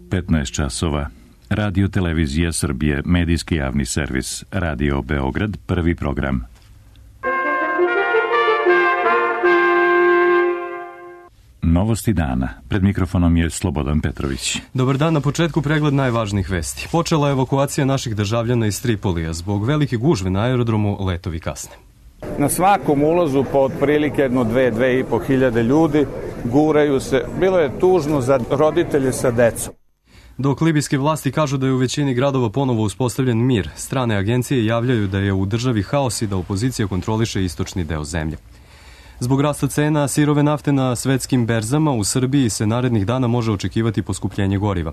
15 časova. Radio Televizija Srbije, medijski javni servis, Radio Beograd, prvi program. Novosti dana. Pred mikrofonom je Slobodan Petrović. Dobar dan, na početku pregled najvažnijih vesti. Počela je evakuacija naših državljana iz Tripolija. Zbog velike gužve na aerodromu letovi kasne. Na svakom ulazu po otprilike 2.500 hiljade ljudi guraju se. Bilo je tužno za roditelje sa decom. Dok libijske vlasti kažu da je u većini gradova ponovo uspostavljen mir, strane agencije javljaju da je u državi haos i da opozicija kontroliše istočni deo zemlje. Zbog rasta cena sirove nafte na svetskim berzama u Srbiji se narednih dana može očekivati poskupljenje goriva.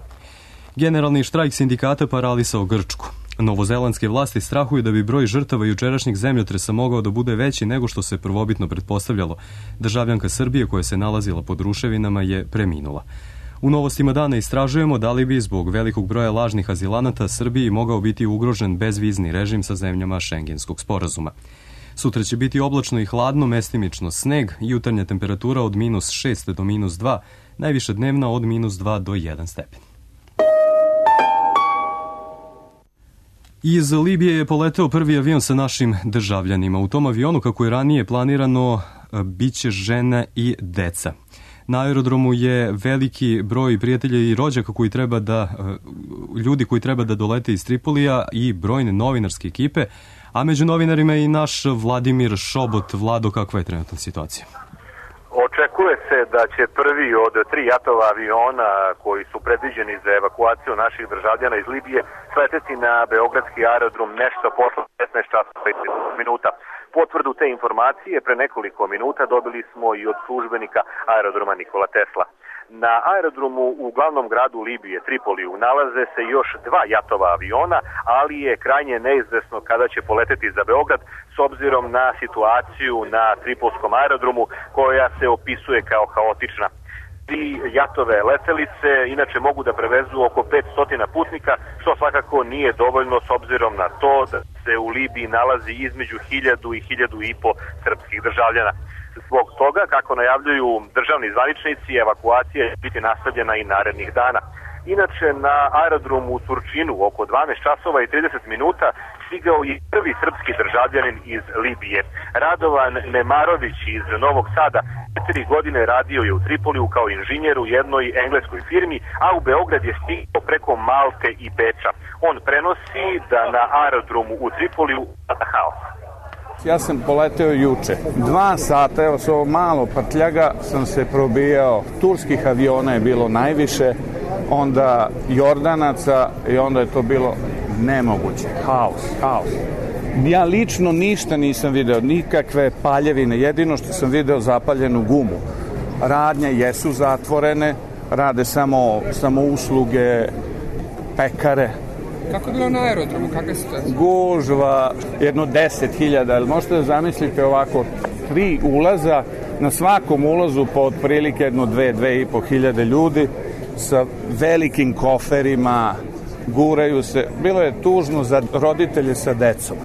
Generalni štrajk sindikata paralisao Grčku. Novozelandske vlasti strahuju da bi broj žrtava jučerašnjeg zemljotresa mogao da bude veći nego što se prvobitno pretpostavljalo. Državljanka Srbije koja se nalazila pod ruševinama je preminula. U novostima dana istražujemo da li bi zbog velikog broja lažnih azilanata Srbiji mogao biti ugrožen bezvizni režim sa zemljama Šengenskog sporazuma. Sutra će biti oblačno i hladno, mestimično sneg, jutarnja temperatura od -6 do -2, najviša dnevna od -2 do 1 stepen. Iz Libije je poleteo prvi avion sa našim državljanima. U tom avionu, kako je ranije planirano, biće žene i deca. Na aerodromu je veliki broj prijatelja i rođaka ljudi koji treba da dolete iz Tripolija i brojne novinarske ekipe, a među novinarima je i naš Vladimir Šobot. Vlado, kakva je trenutna situacija? Očekuje se da će prvi od 3 jatova aviona koji su predviđeni za evakuaciju naših državljana iz Libije sleteti na beogradski aerodrom nešto posle 15 časova i 30 minuta. Potvrdu te informacije pre nekoliko minuta dobili smo i od službenika aerodroma Nikola Tesla. Na aerodromu u glavnom gradu Libije, Tripoliju, nalaze se još 2 jatova aviona, ali je krajnje neizvesno kada će poleteti za Beograd s obzirom na situaciju na Tripolskom aerodromu koja se opisuje kao haotična. 3 jatove letelice inače mogu da prevezu oko 500 putnika, što svakako nije dovoljno s obzirom na to da se u Libiji nalazi između 1000 i 1500 srpskih državljana. Zbog toga, kako najavljuju državni zvaničnici, evakuacija će biti nastavljena i narednih dana. Inače, na aerodromu u Surčinu oko 12 časova i 30 minuta stigao je prvi srpski državljanin iz Libije. Radovan Nemarović iz Novog Sada 4 godine radio je u Tripoliju kao inženjer u jednoj engleskoj firmi, a u Beograd je stigao preko Malte i Beča. On prenosi da na aerodromu u Tripoliju vlada haos. Ja sam poleteo juče. 2 sata, evo s ovo malo prtljaga, sam se probijao. Turskih aviona je bilo najviše, onda Jordanaca i onda je to bilo nemoguće. Haos. Ja lično ništa nisam video, nikakve paljevine. Jedino što sam video zapaljenu gumu. Radnje jesu zatvorene, rade samo usluge, pekare. Kako je bilo na aerodromu? Kakva je situacija? Gužva, jedno 10.000, ali možete da zamislite ovako 3 ulaza, na svakom ulazu po otprilike 2.500 hiljade ljudi sa velikim koferima, guraju se. Bilo je tužno za roditelje sa decom.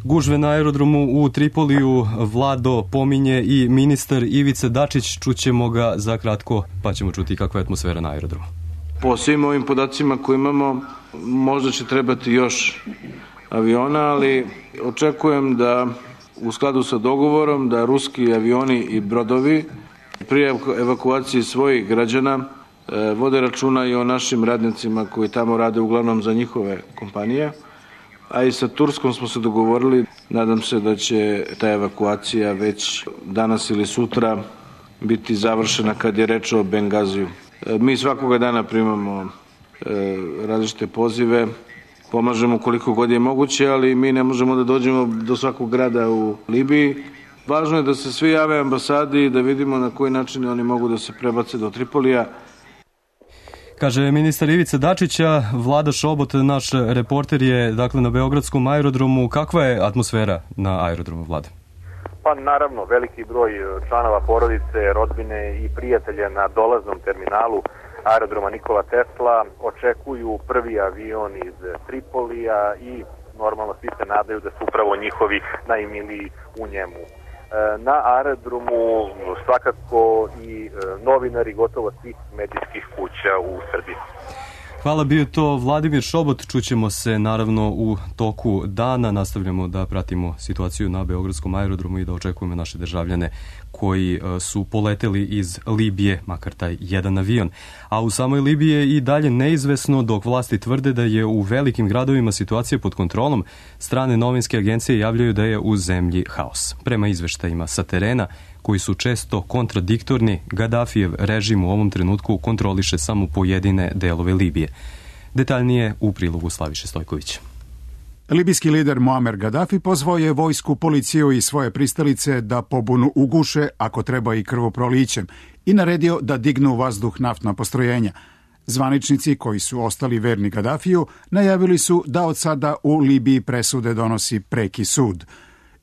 Gužve na aerodromu u Tripoliju Vlado pominje i ministar Ivica Dačić. Čućemo ga za kratko, pa ćemo čuti kakva je atmosfera na aerodromu. Po svim ovim podacima koje imamo, možda će trebati još aviona, ali očekujem da u skladu sa dogovorom da ruski avioni i brodovi prije evakuacije svojih građana vode računa i o našim radnicima koji tamo rade uglavnom za njihove kompanije, a i sa Turskom smo se dogovorili. Nadam se da će ta evakuacija već danas ili sutra biti završena kad je reč o Bengaziju. Mi svakoga dana primamo različite pozive, pomažemo koliko god je moguće, ali mi ne možemo da dođemo do svakog grada u Libiji. Važno je da se svi jave ambasadi i da vidimo na koji način oni mogu da se prebace do Tripolija. Kaže ministar Ivica Dačića. Vlada Šobot, naš reporter, je na beogradskom aerodromu. Kakva je atmosfera na aerodromu, Vlada? Pa naravno, veliki broj članova porodice, rodbine i prijatelja na dolaznom terminalu aerodroma Nikola Tesla očekuju prvi avion iz Tripolija i normalno svi se nadaju da su upravo njihovi najmiliji u njemu. na aerodromu svakako i novinari gotovo svih medijskih kuća u Srbiji. Hvala, bio to Vladimir Šobot. Čućemo se naravno u toku dana. Nastavljamo da pratimo situaciju na Beogradskom aerodromu i da očekujemo naše državljane koji su poleteli iz Libije, makar taj jedan avion. A u samoj Libiji je i dalje neizvesno, dok vlasti tvrde da je u velikim gradovima situacija pod kontrolom. Strane novinske agencije javljaju da je u zemlji haos. Prema izveštajima sa terena, koji su često kontradiktorni, Gadafijev režim u ovom trenutku kontroliše samo pojedine delove Libije. Detaljnije u prilogu Slaviše Stojkovića. Libijski lider Muamer Gadafi pozvao je vojsku, policiju i svoje pristalice da pobunu uguše, ako treba i krvoprolićem, i naredio da dignu u vazduh naftna postrojenja. Zvaničnici koji su ostali verni Gadafiju najavili su da od sada u Libiji presude donosi preki sud.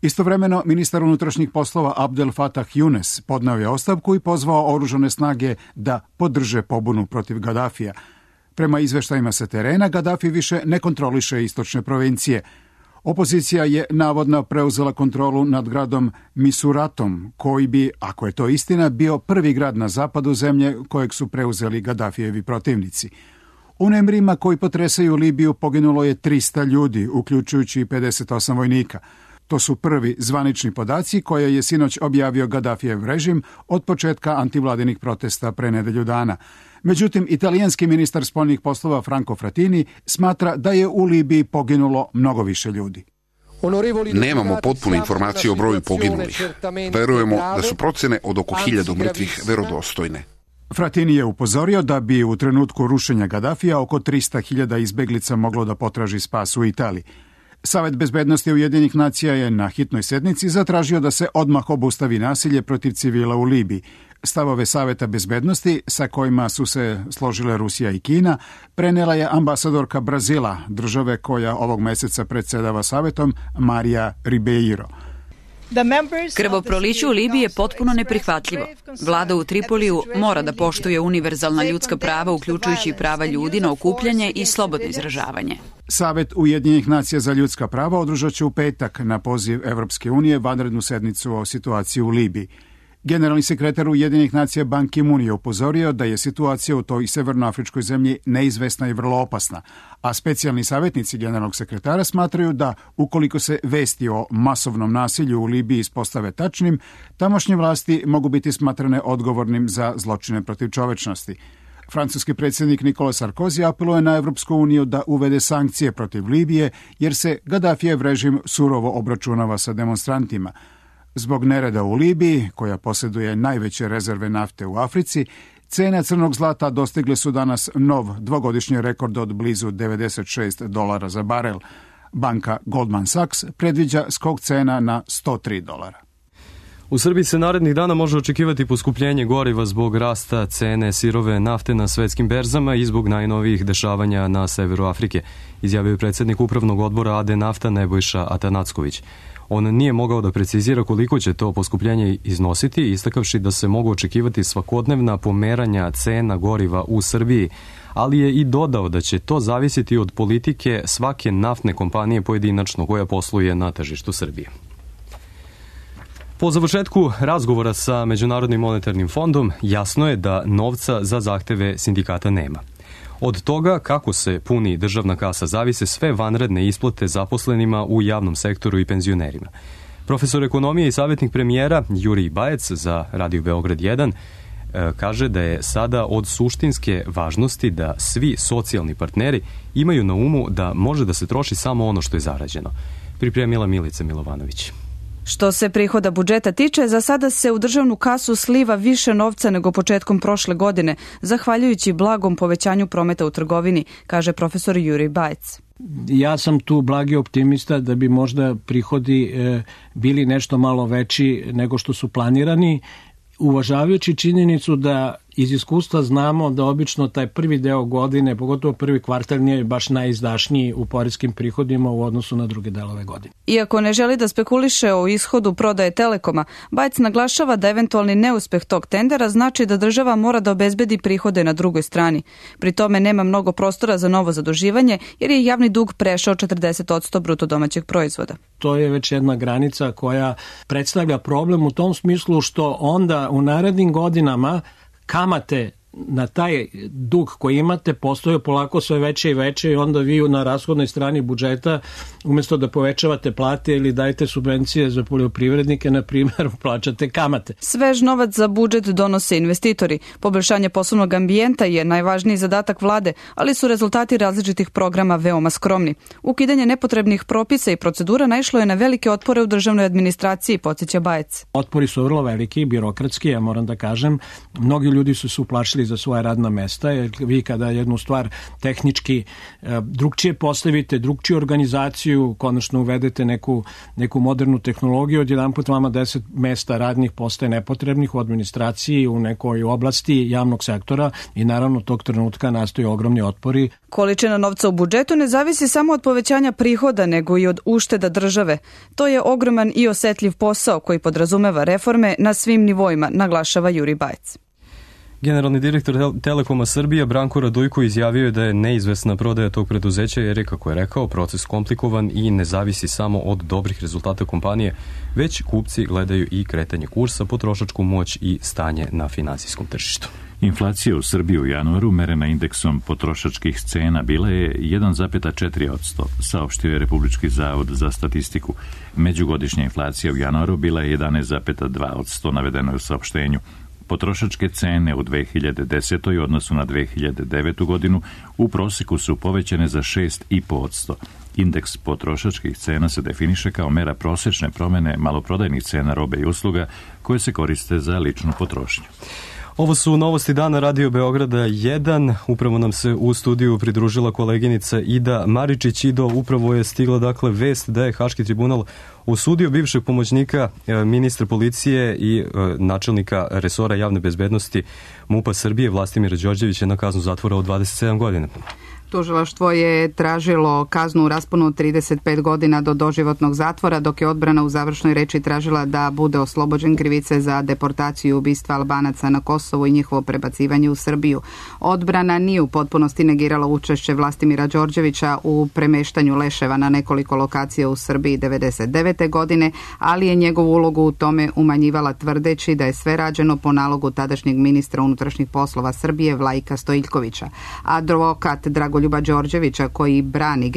Istovremeno, ministar unutrašnjih poslova Abdel Fattah Younes podneo je ostavku i pozvao oružane snage da podrže pobunu protiv Gadafija. Prema izveštajima sa terena, Gadafi više ne kontroliše istočne provincije. Opozicija je navodno preuzela kontrolu nad gradom Misuratom, koji bi, ako je to istina, bio prvi grad na zapadu zemlje kojeg su preuzeli Gadafijevi protivnici. U nemrima koji potresaju Libiju poginulo je 300 ljudi, uključujući i 58 vojnika. To su prvi zvanični podaci koje je sinoć objavio Gadafijev režim od početka antivladinih protesta pre nedelju dana. Međutim, italijanski ministar spoljnih poslova Franco Frattini smatra da je u Libiji poginulo mnogo više ljudi. Nemamo potpune informacije o broju poginulih. Verujemo da su procene od oko 1000 mrtvih verodostojne. Frattini je upozorio da bi u trenutku rušenja Gadafija oko 300.000 izbeglica moglo da potraži spas u Italiji. Savet bezbednosti Ujedinjenih nacija je na hitnoj sednici zatražio da se odmah obustavi nasilje protiv civila u Libiji. Stavove Saveta bezbednosti, sa kojima su se složile Rusija i Kina, prenela je ambasadorka Brazila, države koja ovog meseca predsedava Savetom, Marija Ribeiro. Krvoproliće u Libiji je potpuno neprihvatljivo. Vlada u Tripoliju mora da poštuje univerzalna ljudska prava, uključujući prava ljudi na okupljanje i slobodno izražavanje. Savet Ujedinjenih nacija za ljudska prava održat će u petak na poziv Evropske unije vanrednu sednicu o situaciji u Libiji. Generalni sekretar Ujedinjenih nacija Ban Ki-moon je upozorio da je situacija u toj severnoafričkoj zemlji neizvesna i vrlo opasna, a specijalni savjetnici generalnog sekretara smatraju da ukoliko se vesti o masovnom nasilju u Libiji ispostave tačnim, tamošnje vlasti mogu biti smatrane odgovornim za zločine protiv čovečnosti. Francuski predsjednik Nicolas Sarkozy apeluje na Evropsku uniju da uvede sankcije protiv Libije, jer se Gadafijev režim surovo obračunava sa demonstrantima. Zbog nereda u Libiji, koja posjeduje najveće rezerve nafte u Africi, cene crnog zlata dostigle su danas nov dvogodišnji rekord od blizu $96 za barel. Banka Goldman Sachs predviđa skok cena na $103. U Srbiji se narednih dana može očekivati poskupljenje goriva zbog rasta cene sirove nafte na svetskim berzama i zbog najnovijih dešavanja na severu Afrike, izjavio je predsjednik upravnog odbora AD Nafta Nebojša Atanacković. On nije mogao da precizira koliko će to poskupljenje iznositi, istakavši da se mogu očekivati svakodnevna pomeranja cena goriva u Srbiji, ali je i dodao da će to zavisiti od politike svake naftne kompanije pojedinačno koja posluje na tržištu Srbije. Po završetku razgovora sa Međunarodnim monetarnim fondom jasno je da novca za zahteve sindikata nema. Od toga kako se puni državna kasa zavise sve vanredne isplate zaposlenima u javnom sektoru i penzionerima. Profesor ekonomije i savjetnik premijera Jurij Bajec za Radio Beograd 1 kaže da je sada od suštinske važnosti da svi socijalni partneri imaju na umu da može da se troši samo ono što je zarađeno. Pripremila Milica Milovanović. Što se prihoda budžeta tiče, za sada se u državnu kasu sliva više novca nego početkom prošle godine, zahvaljujući blagom povećanju prometa u trgovini, kaže profesor Jurij Bajec. Ja sam tu blagi optimista da bi možda prihodi bili nešto malo veći nego što su planirani, uvažavajući činjenicu da iz iskustva znamo da obično taj prvi deo godine, pogotovo prvi kvartal, nije baš najizdašniji u poreskim prihodima u odnosu na druge delove godine. Iako ne želi da spekuliše o ishodu prodaje Telekoma, Bajec naglašava da eventualni neuspeh tog tendera znači da država mora da obezbedi prihode na drugoj strani. Pri tome nema mnogo prostora za novo zaduživanje jer je javni dug prešao 40% bruto domaćeg proizvoda. To je već jedna granica koja predstavlja problem u tom smislu što onda u narednim godinama kamate na taj dug koji imate postaju polako sve veće i veće i onda vi na rashodnoj strani budžeta umjesto da povećavate plate ili dajete subvencije za poljoprivrednike, na primjer, plaćate kamate. Svež novac za budžet donose investitori. Poboljšanje poslovnog ambijenta je najvažniji zadatak vlade, ali su rezultati različitih programa veoma skromni. Ukidanje nepotrebnih propisa i procedura naišlo je na velike otpore u državnoj administraciji, podsjeća Bajec. Otpori su vrlo veliki, birokratski, ja moram da kažem. Mnogi ljudi su se uplašili za svoja radna mesta, jer vi kada jednu stvar tehnički drugčije postavite, drugčiju organizaciju, konačno uvedete neku modernu tehnologiju, odjedanput vama 10 mesta radnih postaje nepotrebnih u administraciji, u nekoj oblasti javnog sektora i naravno tog trenutka nastaju ogromni otpori. Količina novca u budžetu ne zavisi samo od povećanja prihoda, nego i od ušteda države. To je ogroman i osetljiv posao koji podrazumeva reforme na svim nivoima, naglašava Juri Bajec. Generalni direktor Telekoma Srbije Branko Radujko izjavio je da je neizvesna prodaja tog preduzeća jer je, kako je rekao, proces komplikovan i ne zavisi samo od dobrih rezultata kompanije, već kupci gledaju i kretanje kursa, potrošačku moć i stanje na finansijskom tržištu. Inflacija u Srbiji u januaru, merena indeksom potrošačkih cena, bila je 1,4%, saopštio je Republički zavod za statistiku. Međugodišnja inflacija u januaru bila je 11,2%, navedeno je u saopštenju. Potrošačke cene u 2010. u odnosu na 2009. godinu u proseku su povećane za 6,5%. Indeks potrošačkih cena se definiše kao mera prosečne promene maloprodajnih cena robe i usluga koje se koriste za ličnu potrošnju. Ovo su novosti dana Radio Beograda 1. Upravo nam se u studiju pridružila koleginica Ida Maričić. Ido, upravo je stigla vest da je Haški tribunal osudio bivšeg pomoćnika ministra policije i načelnika resora javne bezbednosti MUP-a Srbije Vlastimira Đorđevića na kaznu zatvora od 27 godina. Tužilaštvo je tražilo kaznu u rasponu od 35 godina do doživotnog zatvora, dok je odbrana u završnoj reči tražila da bude oslobođen krivice za deportaciju i ubistva Albanaca na Kosovu i njihovo prebacivanje u Srbiju. Odbrana nije u potpunosti negirala učešće Vlastimira Đorđevića u premeštanju leševa na nekoliko lokacija u Srbiji 1999. godine, ali je njegovu ulogu u tome umanjivala tvrdeći da je sve rađeno po nalogu tadašnjeg ministra unutrašnjih poslova Srbije Vlajka Stojiljkovića. Advokat Dragoljub Đorđević koji brani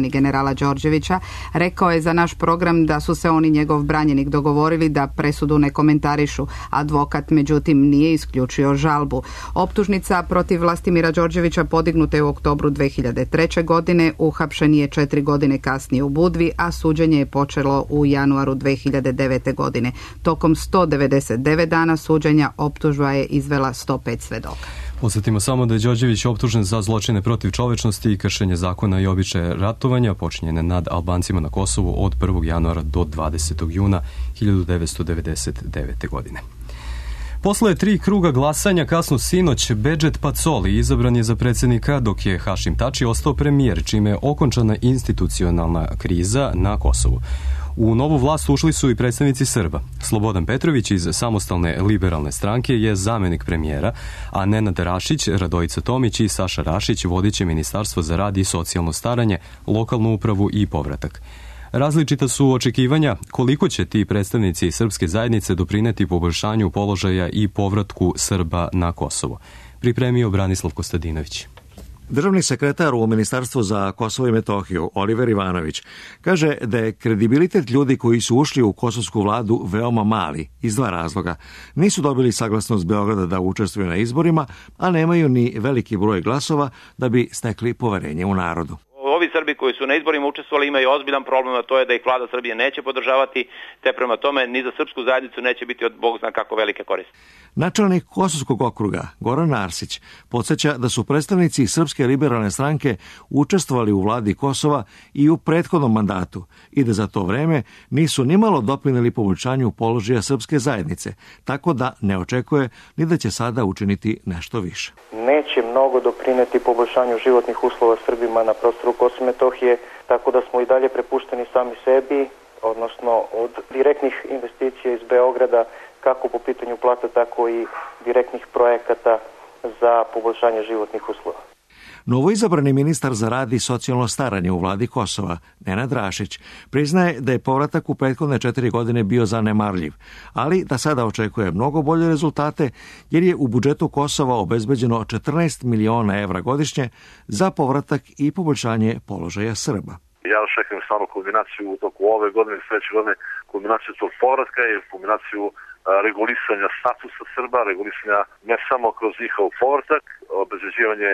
generala Đorđevića rekao je za naš program da su se on i njegov branjenik dogovorili da presudu ne komentarišu. Advokat međutim nije isključio žalbu. Optužnica protiv Vlastimira Đorđevića podignuta je u oktobru 2003. godine, uhapšen je 4 godine kasnije u Budvi, a suđenje je počelo u januaru 2009. godine. Tokom 199 dana suđenja optužba je izvela 105 svedoka. Podsjetimo samo da je Đorđević optužen za zločine protiv čovečnosti i kršenje zakona i običaja ratovanja počinjene nad Albancima na Kosovu od 1. januara do 20. juna 1999. godine. Posle 3 kruga glasanja kasno sinoć Bedžet Pacoli izabran je za predsjednika, dok je Hašim Tači ostao premijer, čime je okončana institucionalna kriza na Kosovu. U novu vlast ušli su i predstavnici Srba. Slobodan Petrović iz Samostalne liberalne stranke je zamenik premijera, a Nenad Rašić, Radojica Tomić i Saša Rašić vodit će Ministarstvo za rad i socijalno staranje, lokalnu upravu i povratak. Različita su očekivanja koliko će ti predstavnici srpske zajednice doprineti poboljšanju položaja i povratku Srba na Kosovo. Pripremio Branislav Kostadinović. Državni sekretar u Ministarstvu za Kosovo i Metohiju, Oliver Ivanović, kaže da je kredibilitet ljudi koji su ušli u kosovsku vladu veoma mali, iz 2 razloga. Nisu dobili saglasnost Beograda da učestvuju na izborima, a nemaju ni veliki broj glasova da bi stekli poverenje u narodu. ovi Srbi koji su na izborima učestvovali imaju ozbiljan problem, a to je da ih vlada Srbije neće podržavati, te prema tome ni za srpsku zajednicu neće biti od Bog zna kako velike koristi. Načelnik Kosovskog okruga, Goran Arsić, podsjeća da su predstavnici Srpske liberalne stranke učestvovali u vladi Kosova i u prethodnom mandatu i da za to vreme nisu nimalo doprineli poboljšanju položaja srpske zajednice, tako da ne očekuje ni da će sada učiniti nešto više. Neće mnogo doprineti poboljšanju životnih uslova Srbima na prostoru Kosova i Metohije, tako da smo i dalje prepušteni sami sebi, odnosno od direktnih investicija iz Beograda, kako po pitanju plata, tako i direktnih projekata za poboljšanje životnih uslova. Novoizabrani ministar za rad i socijalno staranje u vladi Kosova, Nenad Rašić, priznaje da je povratak u prethodne 4 godine bio zanemarljiv, ali da sada očekuje mnogo bolje rezultate jer je u budžetu Kosova obezbeđeno 14 miliona evra godišnje za povratak i poboljšanje položaja Srba. Ja očekujem stvarno kombinaciju u toku ove godine i sledeće godine, kombinaciju tog povratka i kombinaciju regulisanja statusa Srba, regulisanja ne samo kroz njihov povratak, obezbeđivanje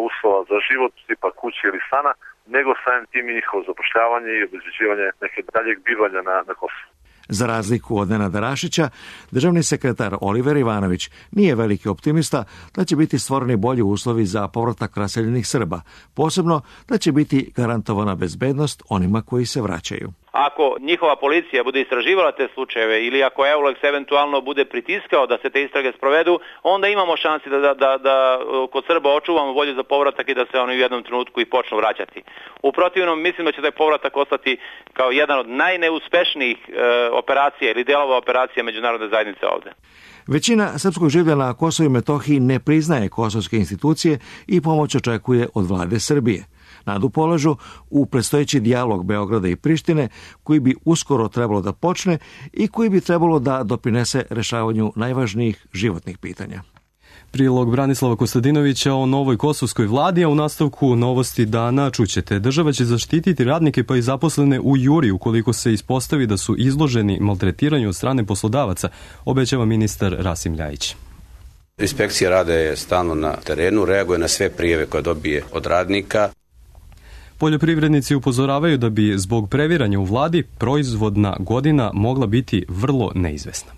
uslova za život, tipa kuće ili stana, nego samim tim i njihovo zapošljavanje i obezbeđivanje neke daljeg bivanja na Kosovu. Za razliku od Nenada Rašića, državni sekretar Oliver Ivanović nije veliki optimista da će biti stvoreni bolji uslovi za povratak raseljenih Srba, posebno da će biti garantovana bezbednost onima koji se vraćaju. Ako njihova policija bude istraživala te slučajeve ili ako Eulex eventualno bude pritiskao da se te istrage sprovedu, onda imamo šansi da kod Srba očuvamo volju za povratak i da se oni u jednom trenutku i počnu vraćati. U protivnom, mislim da će taj povratak ostati kao jedan od najneuspešnijih operacija ili delova operacija međunarodne zajednice ovde. Većina srpskog življa na Kosovu i Metohiji ne priznaje kosovske institucije i pomoć očekuje od vlade Srbije. Nadu polažu u predstojeći dijalog Beograda i Prištine, koji bi uskoro trebalo da počne i koji bi trebalo da doprinese rešavanju najvažnijih životnih pitanja. Prilog Branislava Kostadinovića o novoj kosovskoj vladi, a u nastavku novosti dana čućete. Država će zaštititi radnike pa i zaposlene u Juri ukoliko se ispostavi da su izloženi maltretiranju od strane poslodavaca, obećava ministar Rasim Ljajić. Inspekcija rada je stalno na terenu, reaguje na sve prijave koje dobije od radnika. Poljoprivrednici upozoravaju da bi zbog previranja u vladi proizvodna godina mogla biti vrlo neizvesna.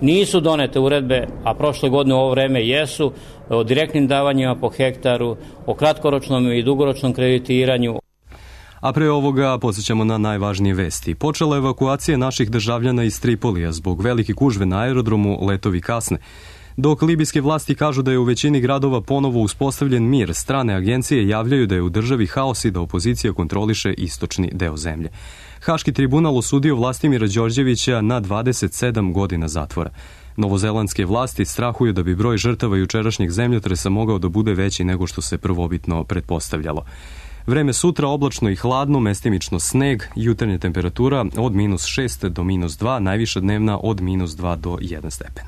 Nisu donete uredbe, a prošle godine u ovo vreme jesu, o direktnim davanjima po hektaru, o kratkoročnom i dugoročnom kreditiranju. A pre ovoga podsjećamo na najvažnije vesti. Počela evakuacija naših državljana iz Tripolija zbog velike gužve na aerodromu, letovi kasne. Dok libijske vlasti kažu da je u većini gradova ponovo uspostavljen mir, strane agencije javljaju da je u državi haos i da opozicija kontroliše istočni deo zemlje. Haški tribunal osudio Vlastimira Đorđevića na 27 godina zatvora. Novozelandske vlasti strahuju da bi broj žrtava jučerašnjeg zemljotresa mogao da bude veći nego što se prvobitno pretpostavljalo. Vreme sutra oblačno i hladno, mestimično sneg, jutarnja temperatura od -6 do -2, najviša dnevna od -2 do 1 stepen.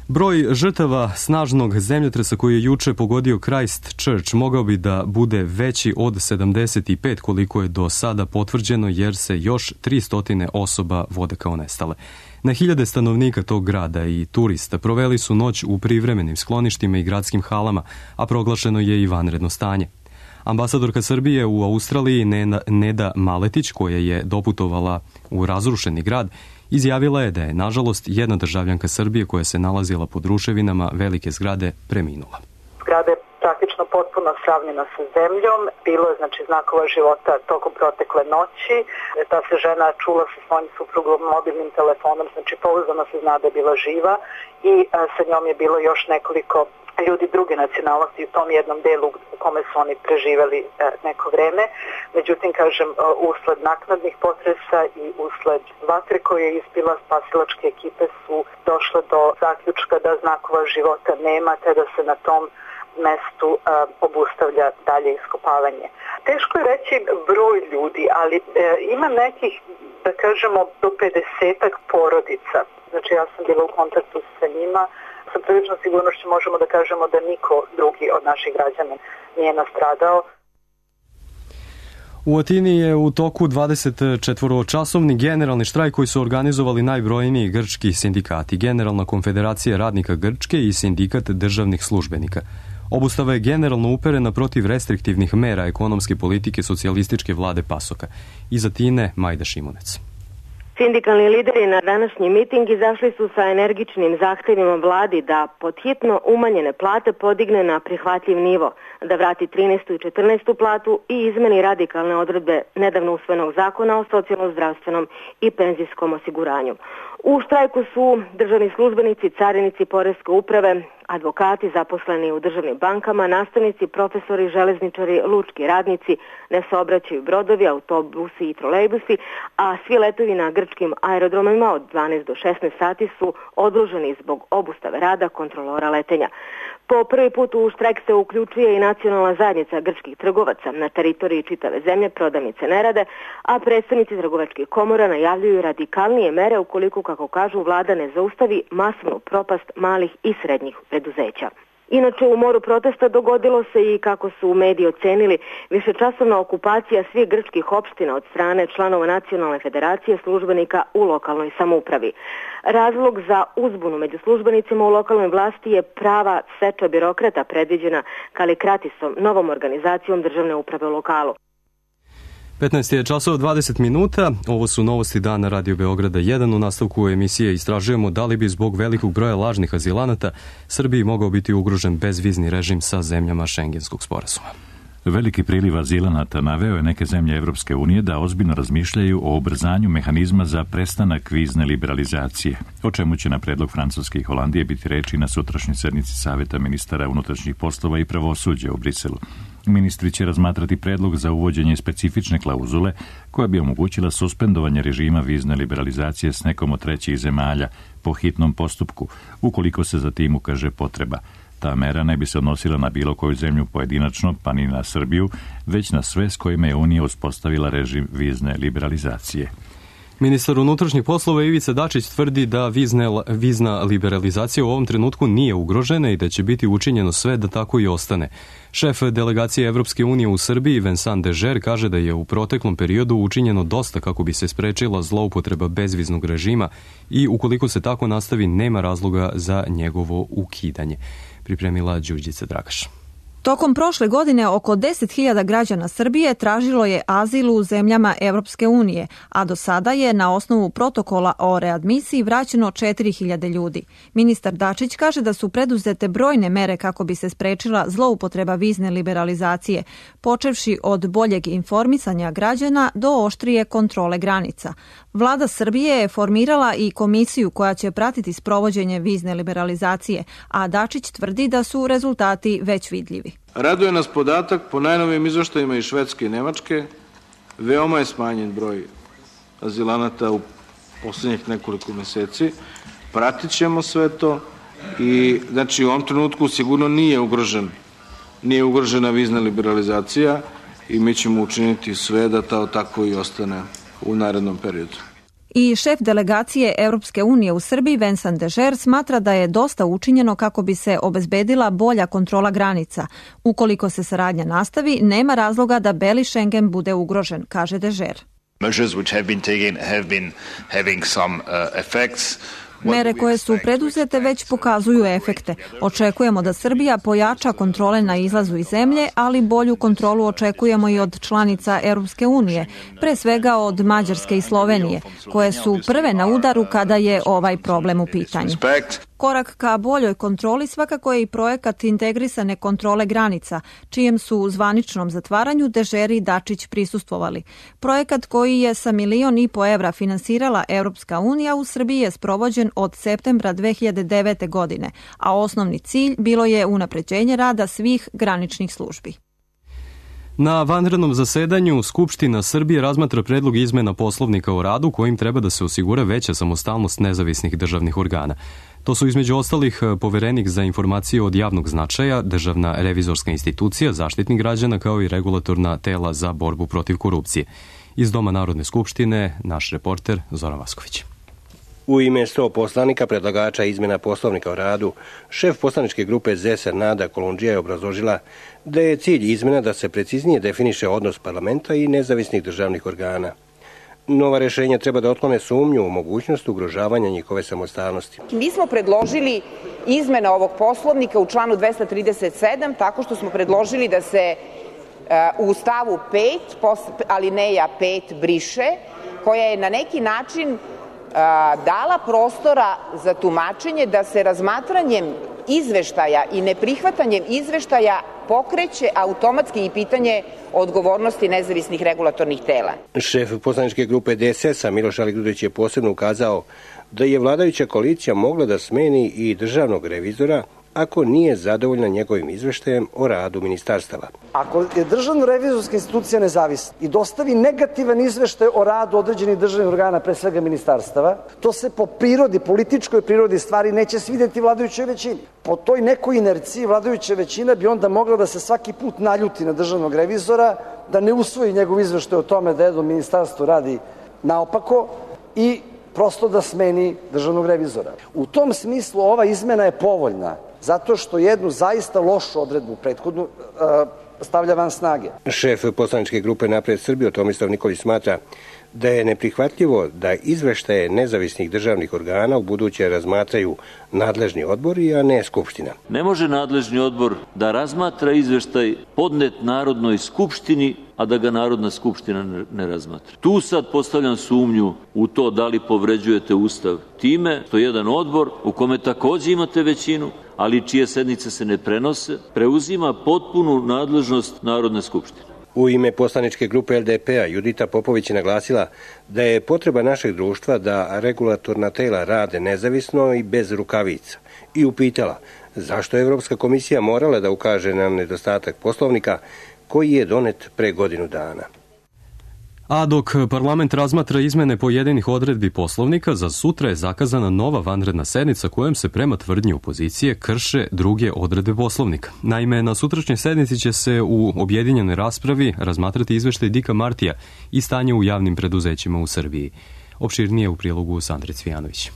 Broj žrtava snažnog zemljotresa koji je juče pogodio Christchurch mogao bi da bude veći od 75 koliko je do sada potvrđeno jer se još 300 osoba vode kao nestale. Na hiljade stanovnika tog grada i turista proveli su noć u privremenim skloništima i gradskim halama, a proglašeno je i vanredno stanje. Ambasadorka Srbije u Australiji Neda Maletić, koja je doputovala u razrušeni grad, izjavila je da je, nažalost, jedna državljanka Srbije koja se nalazila pod ruševinama velike zgrade preminula. Zgrada je praktično potpuno sravnjena sa zemljom. Bilo je znakova života tokom protekle noći. Ta se žena čula sa svojim suprugom mobilnim telefonom, pouzdano se zna da je bila živa i sa njom je bilo još nekoliko ljudi druge nacionalnosti u tom jednom delu u kome su oni preživeli neko vreme. Međutim, usled naknadnih potresa i usled vatre koje je ispila, spasilačke ekipe su došle do zaključka da znakova života nema, te da se na tom mestu obustavlja dalje iskopavanje. Teško je reći broj ljudi, ali ima nekih, da kažemo, do 50-ak porodica. Ja sam bila u kontaktu sa njima. Sa priličnom sigurnošću možemo da kažemo da niko drugi od naših građana nije nastradao. U Atini je u toku 24-časovni generalni štrajk koji su organizovali najbrojniji grčki sindikati, Generalna konfederacija radnika Grčke i Sindikat državnih službenika. Obustava je generalno uperena protiv restriktivnih mera ekonomske politike socijalističke vlade PASOK-a. Iza Tine Majda Šimunec. Sindikalni lideri na današnji miting izašli su sa energičnim zahtevima vladi da podhitno umanjene plate podigne na prihvatljiv nivo, da vrati 13. i 14. platu i izmeni radikalne odredbe nedavno usvojenog zakona o socijalno-zdravstvenom i penzijskom osiguranju. U štrajku su državni službenici, carinici, poreske uprave, advokati, zaposleni u državnim bankama, nastavnici, profesori, železničari, lučki radnici, ne saobraćaju brodovi, autobusi i trolejbusi, a svi letovi na grčkim aerodromima od 12 do 16 sati su odloženi zbog obustave rada kontrolora letenja. Po prvi put u štrajk se uključuje i nacionalna zajednica grčkih trgovaca. Na teritoriji čitave zemlje prodavnice ne rade, a predstavnici trgovačkih komora najavljuju radikalnije mere ukoliko, kako kažu, vlada ne zaustavi masovnu propast malih i srednjih preduzeća. Inače, u moru protesta dogodilo se i, kako su mediji ocenili, višečasovna okupacija svih grčkih opština od strane članova Nacionalne federacije službenika u lokalnoj samoupravi. Razlog za uzbunu među službenicima u lokalnoj vlasti je prava seča birokrata predviđena Kalikratisom, novom organizacijom državne uprave u lokalu. 15 je časova 20 minuta. Ovo su novosti dana Radio Beograda 1. U nastavku emisije istražujemo da li bi zbog velikog broja lažnih azilanata Srbiji mogao biti ugrožen bezvizni režim sa zemljama Šengenskog sporazuma. Veliki priliv azilanata naveo je neke zemlje Evropske unije da ozbiljno razmišljaju o ubrzanju mehanizma za prestanak vizne liberalizacije, o čemu će na predlog Francuske i Holandije biti reči na sutrašnjoj sednici Saveta ministara unutrašnjih poslova i pravosuđa u Briselu. Ministri će razmatrati predlog za uvođenje specifične klauzule koja bi omogućila suspendovanje režima vizne liberalizacije s nekom od trećih zemalja po hitnom postupku, ukoliko se za tim ukaže potreba. Ta mera ne bi se odnosila na bilo koju zemlju pojedinačno, pa ni na Srbiju, već na sve s kojima je Unija uspostavila režim vizne liberalizacije. Ministar unutrašnjih poslova Ivica Dačić tvrdi da vizna liberalizacija u ovom trenutku nije ugrožena i da će biti učinjeno sve da tako i ostane. Šef delegacije Evropske unije u Srbiji, Vincent Dežer, kaže da je u proteklom periodu učinjeno dosta kako bi se sprečila zloupotreba bezviznog režima i ukoliko se tako nastavi nema razloga za njegovo ukidanje. Pripremila Đurđica Dragaš. Tokom prošle godine oko 10.000 građana Srbije tražilo je azil u zemljama Evropske unije, a do sada je na osnovu protokola o readmisiji vraćeno 4.000 ljudi. Ministar Dačić kaže da su preduzete brojne mere kako bi se sprečila zloupotreba vizne liberalizacije, počevši od boljeg informisanja građana do oštrije kontrole granica. Vlada Srbije je formirala i komisiju koja će pratiti sprovođenje vizne liberalizacije, a Dačić tvrdi da su rezultati već vidljivi. Raduje nas podatak po najnovijim izveštajima iz Švedske i Nemačke. Veoma je smanjen broj azilanata u poslednjih nekoliko meseci. Pratit ćemo sve to i znači u ovom trenutku sigurno nije ugrožena vizna liberalizacija i mi ćemo učiniti sve da to tako i ostane u narednom periodu. I šef delegacije Evropske unije u Srbiji, Vincent Dežer, smatra da je dosta učinjeno kako bi se obezbedila bolja kontrola granica. Ukoliko se saradnja nastavi, nema razloga da beli Schengen bude ugrožen, kaže Dežer. Mere koje su preduzete već pokazuju efekte. Očekujemo da Srbija pojača kontrole na izlazu iz zemlje, ali bolju kontrolu očekujemo i od članica Europske unije, pre svega od Mađarske i Slovenije, koje su prve na udaru kada je ovaj problem u pitanju. Korak ka boljoj kontroli svakako je i projekat integrisane kontrole granica, čijem su u zvaničnom zatvaranju Dežer i Dačić prisustvovali. Projekat koji je sa 1,5 miliona evra finansirala Europska unija u Srbiji je sprovođen od septembra 2009. godine, a osnovni cilj bilo je unapređenje rada svih graničnih službi. Na vanrednom zasedanju Skupština Srbije razmatra predlog izmena Poslovnika o radu kojim treba da se osigura veća samostalnost nezavisnih državnih organa. To su između ostalih Poverenik za informacije od javnog značaja, Državna revizorska institucija, Zaštitnik građana kao i regulatorna tela za borbu protiv korupcije. Iz Doma Narodne skupštine naš reporter Zoran Vasković. U ime 100 poslanika predlagača izmjena Poslovnika o radu, šef poslaničke grupe ZSR Nada Kolundžija je obrazložila da je cilj izmjena da se preciznije definiše odnos parlamenta i nezavisnih državnih organa. Nova rješenja treba da otklone sumnju u mogućnost ugrožavanja njihove samostalnosti. Mi smo predložili izmene ovog poslovnika u članu 237 tako što smo predložili da se u stavu 5, alineja 5 briše, koja je na neki način dala prostora za tumačenje da se razmatranjem izveštaja i neprihvatanjem izveštaja pokreće automatski i pitanje odgovornosti nezavisnih regulatornih tela. Šef poslaničke grupe DSS-a Miloš Aligrudić je posebno ukazao da je vladajuća koalicija mogla da smeni i državnog revizora ako nije zadovoljna njegovim izveštajem o radu ministarstava. Ako je državna revizorska institucija nezavisna i dostavi negativan izveštaj o radu određenih državnih organa, pre svega ministarstava, to se po prirodi, političkoj prirodi stvari neće svidjeti vladajućoj većini. Po toj nekoj inerciji vladajuća većina bi onda mogla da se svaki put naljuti na državnog revizora, da ne usvoji njegov izveštaj o tome da jedno ministarstvo radi naopako i prosto da smeni državnog revizora. U tom smislu ova izmena je povoljna, zato što jednu zaista lošu odredbu prethodnu stavlja van snage. Šef poslaničke grupe Napred Srbiju Tomislav Nikolić smatra da je neprihvatljivo da izveštaje nezavisnih državnih organa u buduće razmatraju nadležni odbori, a ne Skupština. Ne može nadležni odbor da razmatra izveštaj podnet Narodnoj skupštini, a da ga Narodna skupština ne razmatra. Tu sad postavljam sumnju u to da li povređujete Ustav time što jedan odbor u kome takođe imate većinu, ali čije sednice se ne prenose, preuzima potpunu nadležnost Narodne skupštine. U ime poslaničke grupe LDP-a Judita Popović je naglasila da je potreba našeg društva da regulatorna tela rade nezavisno i bez rukavica i upitala zašto je Evropska komisija morala da ukaže na nedostatak poslovnika koji je donet pre godinu dana. A dok parlament razmatra izmene pojedinih odredbi poslovnika, za sutra je zakazana nova vanredna sednica kojom se prema tvrdnji opozicije krše druge odredbe poslovnika. Naime, na sutrašnjoj sednici će se u objedinjenoj raspravi razmatrati izveštaj Dika Martija i stanje u javnim preduzećima u Srbiji. Opširnije u prilogu Sandre Cvijanović.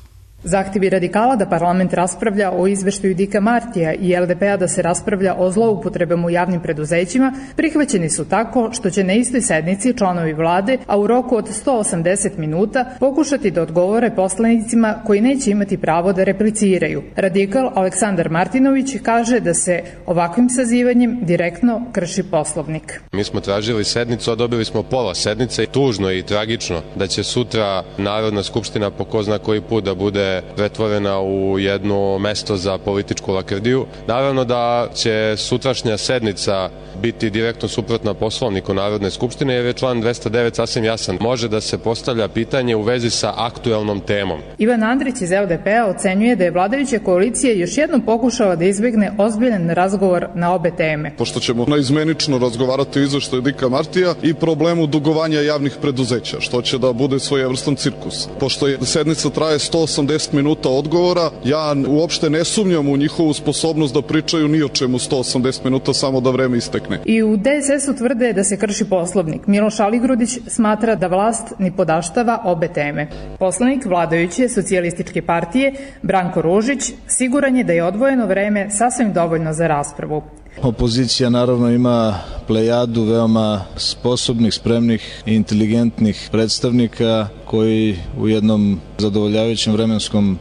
Zahtjevi radikala da parlament raspravlja o izveštaju Dika Martija i LDP-a da se raspravlja o zloupotrebama u javnim preduzećima prihvaćeni su tako što će na istoj sednici članovi vlade, a u roku od 180 minuta, pokušati da odgovore poslanicima koji neće imati pravo da repliciraju. Radikal Aleksandar Martinović kaže da se ovakvim sazivanjem direktno krši poslovnik. Mi smo tražili sednicu, a dobili smo pola sednice. Tužno i tragično da će sutra Narodna skupština po ko zna koji put da bude pretvorena u jedno mesto za političku lakrdiju. Naravno da će sutrašnja sednica biti direktno suprotna poslovniku Narodne skupštine jer je član 209 sasvim jasan. Može da se postavlja pitanje u vezi sa aktuelnom temom. Ivan Andrić iz LDP-a ocenjuje da je vladajuća koalicija još jednom pokušala da izbegne ozbiljan razgovor na obe teme. Pošto ćemo naizmenično razgovarati o izveštaju Dika Martija i problemu dugovanja javnih preduzeća, što će da bude svojevrstan cirkus. Pošto je sednica traje 180 minuta odgovora, ja uopšte ne sumnjam u njihovu sposobnost da pričaju ni o čemu 180 minuta, samo da vreme istekne. I u DSS-u tvrde da se krši poslovnik. Miloš Aligrudić smatra da vlast ni podaštava obe teme. Poslanik vladajuće socijalističke partije Branko Ružić siguran je da je odvojeno vreme sasvim dovoljno za raspravu. Opozicija naravno ima plejadu veoma sposobnih, spremnih i inteligentnih predstavnika koji u jednom zadovoljavajućem vremenskom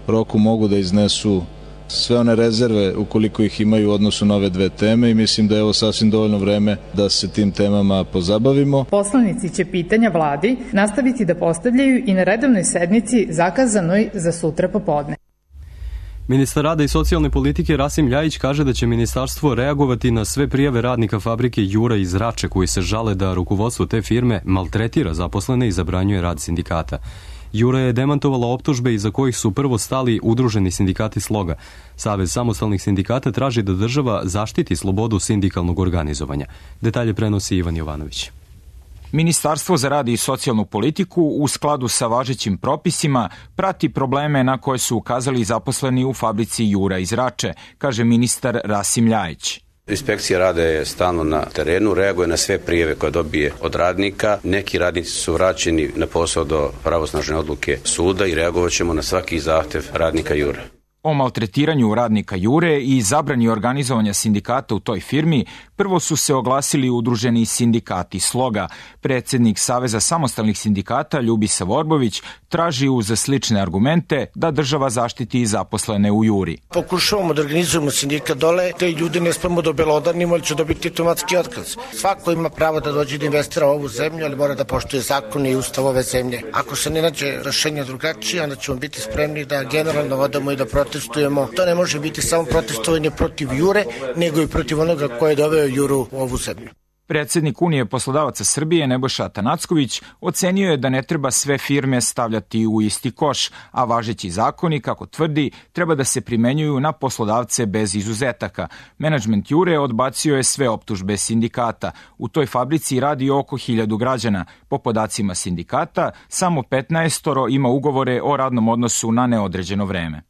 roku mogu da iznesu sve one rezerve ukoliko ih imaju u odnosu na ove dve teme i mislim da je ovo sasvim dovoljno vreme da se tim temama pozabavimo. Poslanici će pitanja vladi nastaviti da postavljaju i na redovnoj sednici zakazanoj za sutra popodne. Ministar rada i socijalne politike Rasim Ljajić kaže da će ministarstvo reagovati na sve prijave radnika fabrike Jura iz Rače koji se žale da rukovodstvo te firme maltretira zaposlene i zabranjuje rad sindikata. Jura je demantovala optužbe iza kojih su prvo stali udruženi sindikati Sloga. Savez samostalnih sindikata traži da država zaštiti slobodu sindikalnog organizovanja. Detalje prenosi Ivan Jovanović. Ministarstvo za rad i socijalnu politiku u skladu sa važećim propisima prati probleme na koje su ukazali zaposleni u fabrici Jura iz Rače, kaže ministar Rasim Ljajić. Inspekcija rada je stalno na terenu, reaguje na sve prijave koje dobije od radnika. Neki radnici su vraćeni na posao do pravosnažne odluke suda i reagovat ćemo na svaki zahtev radnika Jura. O maltretiranju radnika Jure i zabrani organizovanja sindikata u toj firmi prvo su se oglasili udruženi sindikati Sloga. Predsjednik Saveza samostalnih sindikata Ljubisa Vorbović traži uz slične argumente da država zaštiti zaposlene u Juri. Pokušavamo da organizujemo sindikat dole, te ljudi ne smemo da obelodanimo, ali će dobiti automatski otkaz. Svako ima pravo da dođe da investira u ovu zemlju, ali mora da poštuje zakone i ustav ove zemlje. Ako se ne nađe rešenje drugačije, onda ćemo biti spremni da generalno odamo i da protestujemo. To ne može biti samo protestovanje protiv Jure, nego i protiv onoga ko je doveo Juru u ovu zemlju. Predsjednik Unije poslodavaca Srbije Nebojša Atanacković ocenio je da ne treba sve firme stavljati u isti koš, a važeći zakoni, kako tvrdi, treba da se primenjuju na poslodavce bez izuzetaka. Menadžment Jure odbacio je sve optužbe sindikata. U toj fabrici radi oko 1000 građana. Po podacima sindikata, samo 15 ima ugovore o radnom odnosu na neodređeno vreme.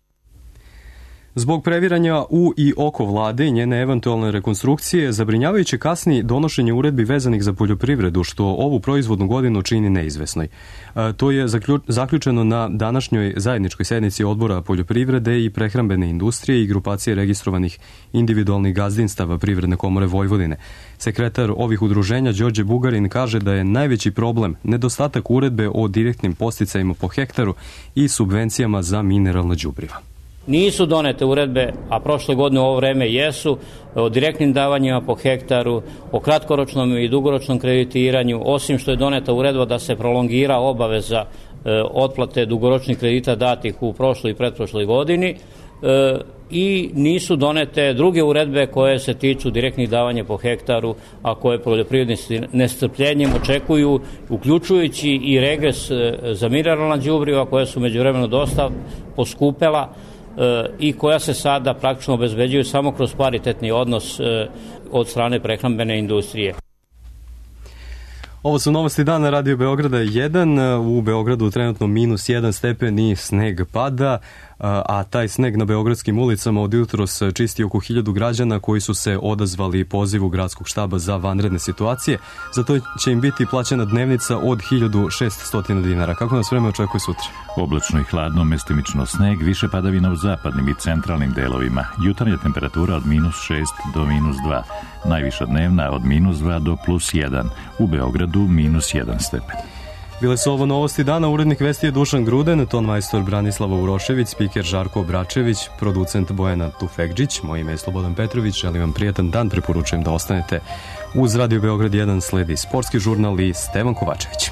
Zbog previranja u i oko vlade i njene eventualne rekonstrukcije, zabrinjavajuće kasni donošenje uredbi vezanih za poljoprivredu, što ovu proizvodnu godinu čini neizvesnoj. To je zaključeno na današnjoj zajedničkoj sednici Odbora poljoprivrede i prehrambene industrije i grupacije registrovanih individualnih gazdinstava Privredne komore Vojvodine. Sekretar ovih udruženja Đorđe Bugarin kaže da je najveći problem nedostatak uredbe o direktnim podsticajima po hektaru i subvencijama za mineralna đubriva. Nisu donete uredbe, a prošle godine u ovo vreme jesu, o direktnim davanjima po hektaru, o kratkoročnom i dugoročnom kreditiranju, osim što je doneta uredba da se prolongira obaveza otplate dugoročnih kredita datih u prošloj i pretprošloj godini, i nisu donete druge uredbe koje se tiču direktnih davanja po hektaru, a koje poljoprivrednici nestrpljenjem očekuju, uključujući i regres za mineralna đubriva koja su međuvremeno dosta poskupela i koja se sada praktično obezbeđuju samo kroz paritetni odnos od strane prehrambene industrije. Ovo su novosti dana Radio Beograda 1. U Beogradu trenutno -1 stepen i sneg pada, a taj sneg na beogradskim ulicama od jutros čisti oko 1000 građana koji su se odazvali pozivu gradskog štaba za vanredne situacije. Zato će im biti plaćena dnevnica od 1600 dinara. Kako nas vreme očekuje sutra? Oblačno i hladno, mestimično sneg, više padavina u zapadnim i centralnim delovima. Jutarnja temperatura od -6 do -2. Najviša dnevna od -2 do +1. U Beogradu -1 stepen. Bile su ovo novosti dana, urednik vesti je Dušan Gruden, ton majstor Branislava Urošević, spiker Žarko Bračević, producent Bojana Tufekđić, moje ime je Slobodan Petrović, želim vam prijatan dan, preporučujem da ostanete uz Radio Beograd 1, sledi sportski žurnal i Stevan Kovačević.